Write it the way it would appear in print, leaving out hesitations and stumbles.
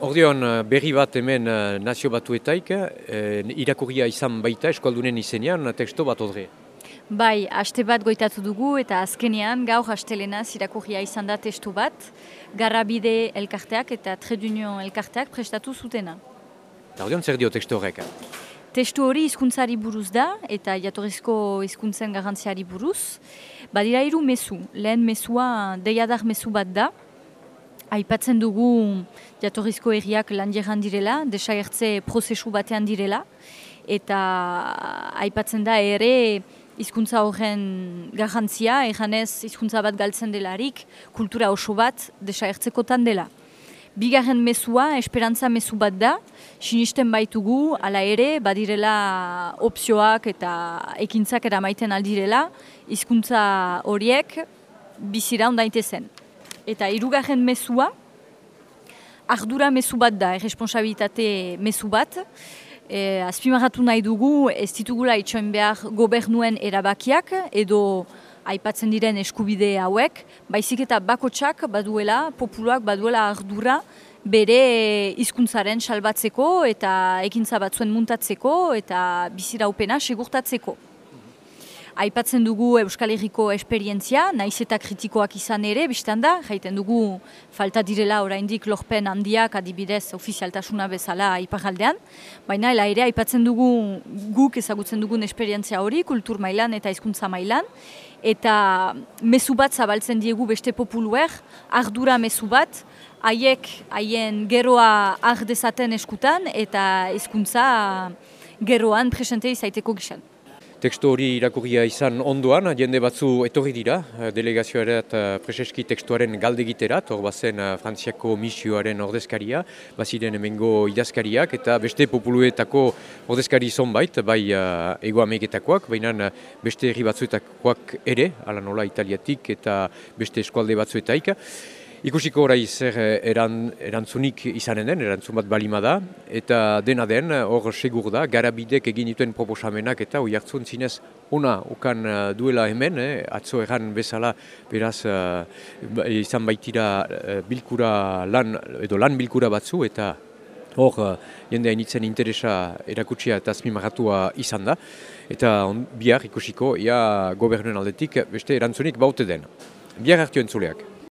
Ordeon berri bat hemen Nazio Batuetaik, irakurria izan baita eskualdunen izenean teksto bat odre. Bai, haste bat goitatu dugu eta azkenean gaur hastelenaz irakurria izan da testu bat, Garrabide elkarteak eta Trade Union elkarteak prestatu zutena. Ordeon zer dio teksto horrek? Testu hori hizkuntzari buruz da eta jatorrizko hizkuntzen garrantziari buruz. Badira hiru mezu, lehen mezua deiadar mezu bat da. Aipatzen dugu jatorrizko herriak landieran direla, desagertze prozesu batean direla, eta aipatzen da ere hizkuntza horren garrantzia, erranez hizkuntza bat galtzen delarik, kultura oso bat desagertzekotan dela. Bigarren mezua, esperantza mezu bat da, sinisten baitugu, hala ere, badirela opzioak eta ekintzak eramaiten aldirela, hizkuntza horiek bizira ondaitezen. Eta hirugarren mezua, ardura mezu bat da, erresponsabilitate mezu bat. Azpimarratu nahi dugu, ez ditugula itxoin behar gobernuen erabakiak edo aipatzen diren eskubide hauek, baizik eta bakotsak baduela, populuak baduela ardura bere hizkuntzaren salbatzeko eta ekintza batzuen muntatzeko eta biziraupena segurtatzeko. Aipatzen dugu Euskal Herriko esperientzia, naiz eta kritikoak izan ere, biztan da, jaiten dugu falta direla oraindik lorpen handiak adibidez ofizialtasuna bezala iparraldean, baina ere aipatzen dugu guk ezagutzen dugun esperientzia hori, kultur mailan eta hizkuntza mailan, eta mezu bat zabaltzen diegu beste populuer, ardura mezu bat, haien geroa har dezaten eskutan eta hizkuntza geroan presente izaiteko gizan. Tekstu hori irakurria izan ondoan, jende batzu etorri dira, delegazioaret preseski tekstuaren galdegiterat, hor bazen Frantziako misioaren ordezkaria, baziren hemengo idazkariak eta beste populuetako ordezkari zonbait, bai Hego Ameriketakoak, baina beste herri batzuetakoak ere, ala nola Italiatik eta beste eskualde batzuetaik. Ikusiko orai zer erantzunik izanen den, erantzun bat balima da, eta dena den, hor segur da, Garabidek egin dituen proposamenak eta hoi hartzun zinez ona ukan duela hemen, atzo erran bezala, beraz izan baitira bilkura lan bilkura batzu, eta hor jende hainitzen interesa erakutsia eta azpimarratua izan da, eta bihar ikusiko, gobernuen aldetik beste erantzunik baute den. Bihar hartu entzuleak.